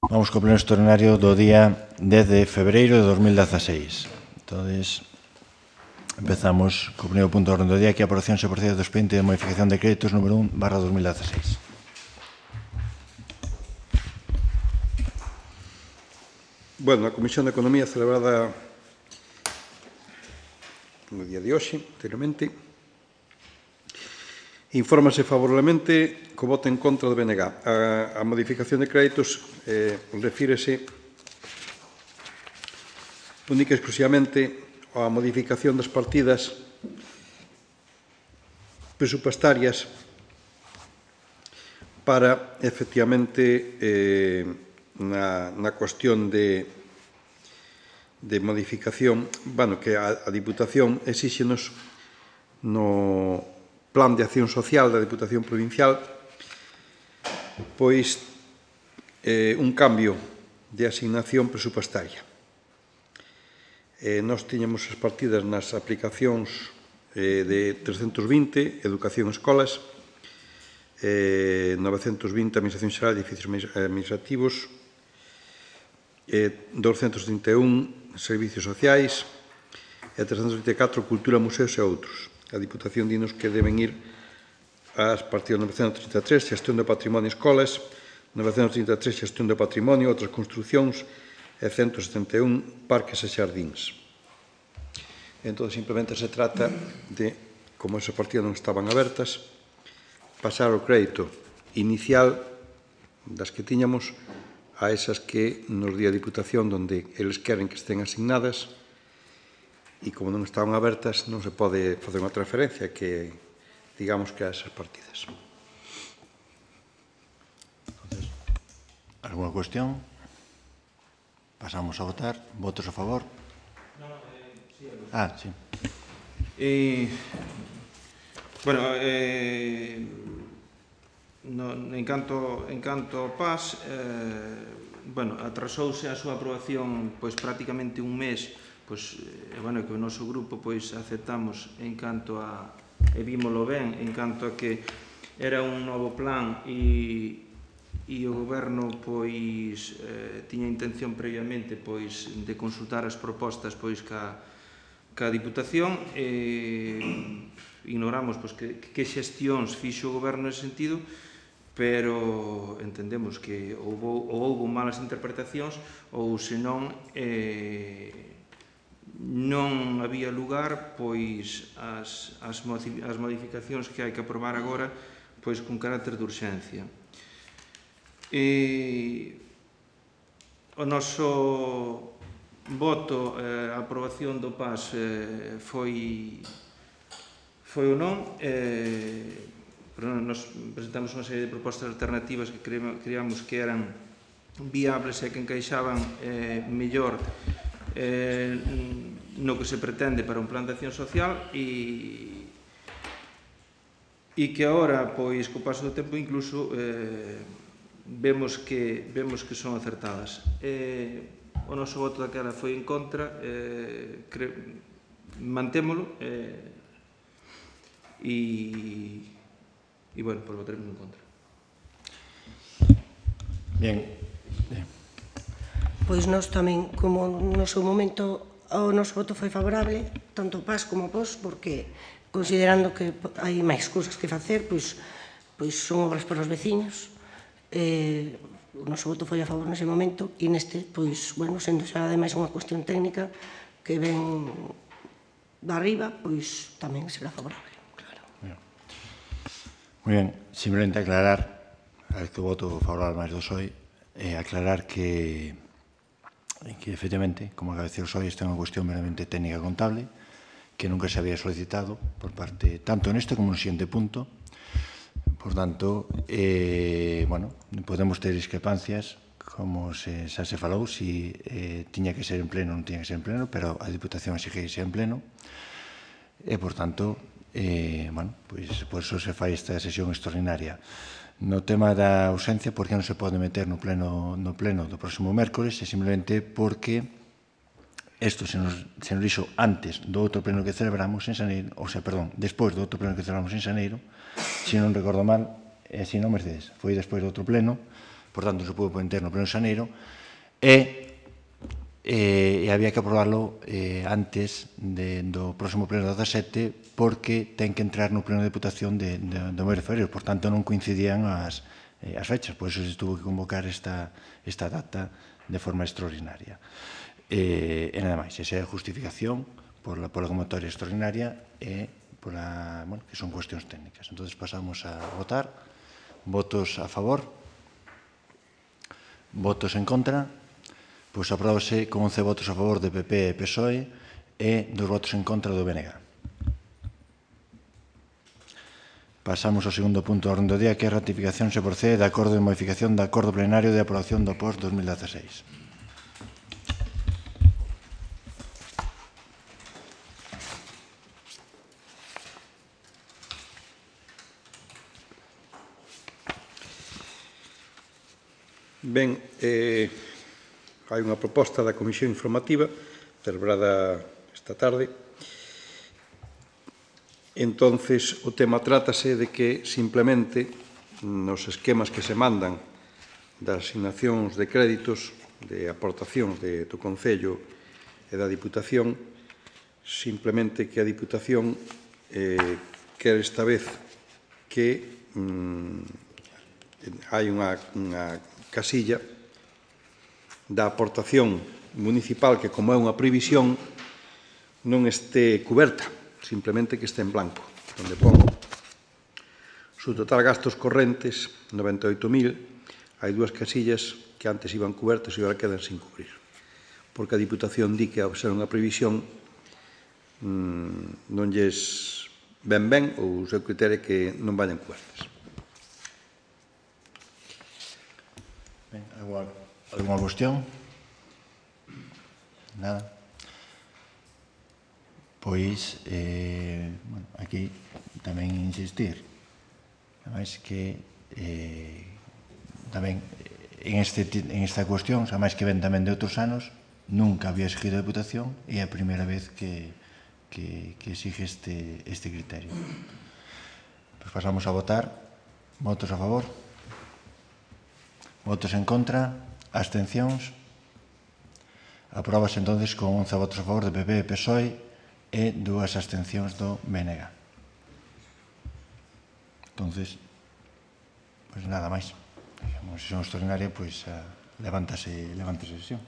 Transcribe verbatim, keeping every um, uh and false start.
Vamos co pleno extraordinario do día dez de febreiro de dos mil dieciséis. Entonces, empezamos co primeiro punto do orden do día, que é a aprobación se procede do expediente de modificación de créditos número un barra dos mil dieciséis. Bueno, a Comisión de Economía celebrada no día de hoxe, anteriormente, infórmase favorablemente co voto en contra do B N G. A, a modificación de créditos eh, refírese única e exclusivamente a modificación das partidas presupuestarias para, efectivamente, eh, na, na cuestión de, de modificación, bueno, que a, a Diputación exíxenos no Plan de Acción Social da Diputación Provincial pois eh, un cambio de asignación presupuestaria. Eh, nós tiñamos as partidas nas aplicacións eh, de trescentos vinte, Educación e Escolas, eh, novecentos vinte, Administración Xeral e Edificios Administrativos, eh, douscentos trinta e un, Servicios Sociais, e trescentos vinte e catro, Cultura, Museos e outros. A Diputación dinos que deben ir ás partidas novecentos trinta e tres, Xestión do Patrimonio e Escolas, novecentos trinta e tres, Xestión do Patrimonio, outras construcións, e ciento setenta e un, Parques e Xardíns. Entón, simplemente se trata de, como esas partidas non estaban abertas, pasar o crédito inicial das que tiñamos a esas que nos di a Diputación donde eles queren que estén asignadas, e como non estaban abertas non se pode facer unha transferencia que digamos que a esas partidas. Alguna cuestión? Pasamos a votar. Votos a favor? Ah, sí. Eh, bueno, eh, no, en canto en canto ao P A S, eh, bueno, atrasouse a súa aprobación pois prácticamente un mes, pois eh, bueno, que o noso grupo pois aceptamos en canto a e vímolo ben, en canto a que era un novo plan e e o goberno pois eh, tiña intención previamente pois de consultar as propostas pois ca ca Diputación e ignoramos pois que, que xestións fixo o goberno nese sentido, pero entendemos que houbo, ou houbo malas interpretacións ou senón eh, non había lugar pois as, as, as modificacións que hai que aprobar agora pois con carácter de urxencia. E o noso voto eh, a aprobación do P A S eh, foi foi ou non eh, pero nos presentamos unha serie de propostas alternativas que creíamos que eran viables e que encaixaban eh, mellor eh, no que se pretende para un plan de acción social e e que agora, pois, co paso do tempo incluso eh, vemos que vemos que son acertadas. Eh, o noso voto daquela foi en contra, eh, cre, mantémolo eh, e, e, bueno, pois votaremos en contra. Bien. Pois nós tamén, como no seu momento o noso voto foi favorable, tanto P A S como P O S, porque considerando que hai máis cousas que facer, pois, pois son obras para os veciños, eh, o noso voto foi a favor nese momento, e neste, pois, bueno, sendo xa ademais unha cuestión técnica que ven da arriba, pois tamén será favorable, claro. Moi ben, simplemente aclarar, a ver que o voto favorable máis do P S O E, eh, aclarar que que efectivamente, como acaba de decir o P S O E, esta é unha cuestión meramente técnica contable que nunca se había solicitado por parte, tanto neste como no siguiente punto. Por tanto, eh, bueno, podemos ter discrepancias, como se, xa se falou, si eh, tiña que ser en pleno ou non tiña que ser en pleno, pero a Diputación exixe que sea en pleno. E, por tanto, eh, bueno, pois, por eso se fai esta sesión extraordinaria. No tema da ausencia, por que non se pode meter no pleno, no pleno do próximo mércoles, é simplemente porque isto se nos, se nos dixo antes do outro pleno que celebramos en Xaneiro, ou sea, perdón, despois do outro pleno que celebramos en Xaneiro, se non recordo mal, e se non, Mercedes, foi despois do outro pleno, por tanto, se pudo poner no pleno de xaneiro, e e había que aprobarlo antes do próximo pleno do dezasete porque ten que entrar no pleno de Deputación do mes de febrero, por tanto non coincidían as fechas, por iso se tuvo que convocar esta data de forma extraordinaria. E nada máis, esa é a justificación pola convocatoria extraordinaria e que son cuestións técnicas. Entón, pasamos a votar. Votos a favor? Votos en contra? Pois apróbase con once votos a favor de P P e P S O E e dos votos en contra do B N G. Pasamos ao segundo punto da orde do día, que é a ratificación se procede de acordo de modificación do acordo plenario de aprobación do P O S dos mil dezaseis. Ben, eh, hai unha proposta da Comisión Informativa celebrada esta tarde. Entonces, o tema trátase de que simplemente nos esquemas que se mandan das asignacións de créditos de aportacións do Concello e da Diputación, simplemente que a Diputación eh, quere esta vez que mm, hai unha, unha casilla da aportación municipal que, como é unha previsión, non este coberta, simplemente que este en blanco, onde pon su total gastos correntes, noventa e oito mil, hai dúas casillas que antes iban cobertas e agora quedan sin cubrir, porque a Diputación di que, ao ser unha previsión, mmm, non lles ben ben, ou o seu criterio que non vayan cobertas. Alguna cuestión? Nada? Pois, eh, bueno, aquí tamén insistir, ademais que eh, tamén en, este, en esta cuestión, ademais que ven tamén de outros anos, nunca había exigido a Deputación e é a primeira vez que, que, que exige este, este criterio. Pues pasamos a votar. Votos a favor? Votos en contra? Abstencións? Apróbase entonces con once votos a favor de P P e P S O E e dúas abstencións do B N G. Entonces, pues nada máis. Como sesión extraordinaria, pues levántase a sesión.